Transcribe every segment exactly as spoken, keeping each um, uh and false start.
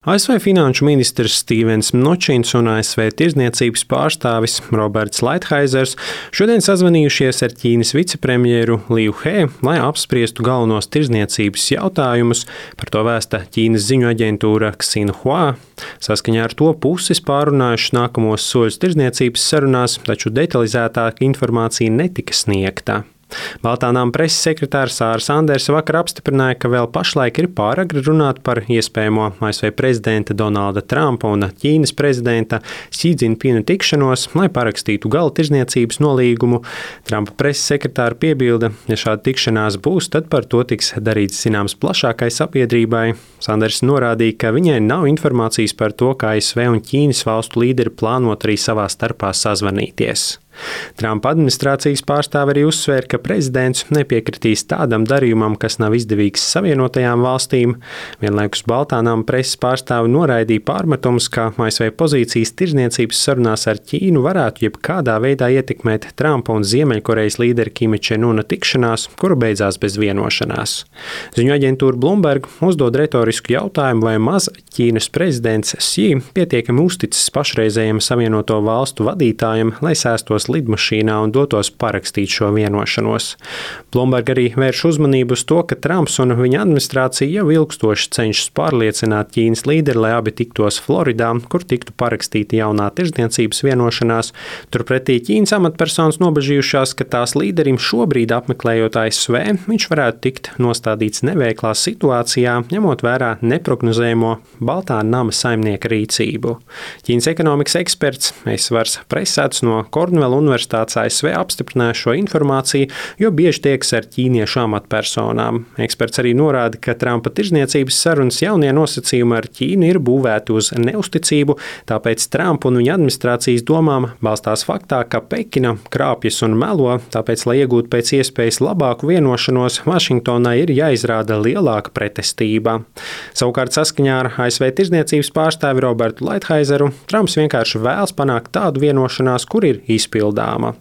A S V finanšu ministrs Stīvens Mnučins un A S V tirdzniecības pārstāvis Roberts Laithaizers šodien sazvanījušies ar Ķīnas vicepremjeru Liu He, lai apspriestu galvenos tirdzniecības jautājumus. Par to vēsta Ķīnas ziņu aģentūra Xinhua. Saskaņā ar to puses pārunājušas nākamos soļus tirdzniecības sarunās, taču detalizētāka informācija netika sniegta. Baltā nama preses sekretārs Sāra Sandersa vakar apstiprināja, ka vēl pašlaik ir pāragri runāt par iespējamo A S V prezidenta Donalda Trumpa un Ķīnas prezidenta Xi Jinpinga tikšanos, lai parakstītu gala tirdzniecības nolīgumu. Trumpa preses sekretāra piebilda, ja šāda tikšanās būs, tad par to tiks darīts zināms plašākai sabiedrībai. Sandersa norādīja, ka viņai nav informācijas par to, ka A S V un Ķīnas valstu līderi plānot arī savā starpā sazvanīties. Trumpa administrācijas pārstāve arī uzsvēra, ka prezidents nepiekritīs tādam darījumam, kas nav izdevīgs Savienotajām valstīm. Vienlaikus Baltā nama preses pārstāve noraidīja pārmetumus, ka A S V pozīcijas tirdzniecības sarunās ar Ķīnu varētu jebkādā veidā ietekmēt Trumpa un Ziemeļkorejas līderi Kima Čen-una tikšanās, kura beidzās bez vienošanās. Ziņu aģentūra Bloomberg uzdod retorisku jautājumu, vai maz Ķīnas prezidents Xi pietiekami uzticis pašreizējiem Savienoto valstu vadītājiem, lai sēstos lidmašīnā un dotos parakstīt šo vienošanos. Bloomberg arī vērš uzmanību uz to, ka Trumps un viņa administrācija jau ilgstoši cenšas pārliecināt Ķīnas līderi, lai abi tiktos Floridā, kur tiktu parakstīta jaunā tirdzniecības vienošanās. Turpretī Ķīnas amatpersonas nobežījušās, ka tās līderim šobrīd apmeklējot A S V, viņš varētu tikt nostādīts neveiklā situācijā, ņemot vērā neprognozējamo Baltā nama saimnieka rīcību. Ķīnas ekonomikas eksperts Eisvars Presats no Kornvela Universitātes A S V apstiprināja šo informāciju, jo bieži tiekas ar ķīniešu amatpersonām. Eksperts arī norāda, ka Trumpa tirdzniecības sarunas jaunie nosacījumi ar Ķīnu ir būvēti uz neusticību, tāpēc Trumpa un viņa administrācijas domām balstās faktā, ka Pekina krāpjas un melo, tāpēc, lai iegūtu pēc iespējas labāku vienošanos, Vašingtonai ir jāizrāda lielāka pretestība. Savukārt saskaņā ar A S V tirdzniecības pārstāvi Robertu Laithaizeru, Trumps vienkārši vēlas panākt tādu vienošanās, kur ir izpildāma.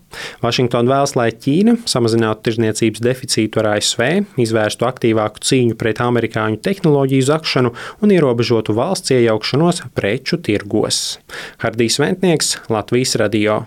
Vašingtona vēlas, lai Ķīna samazinātu tirdzniecības deficītu ar A S V, izvērstu aktīvāku cīņu pret amerikāņu tehnoloģiju zakšanu un ierobežotu valsts iejaukšanos preču tirgos. Hardijs Ventnieks, Latvijas radio.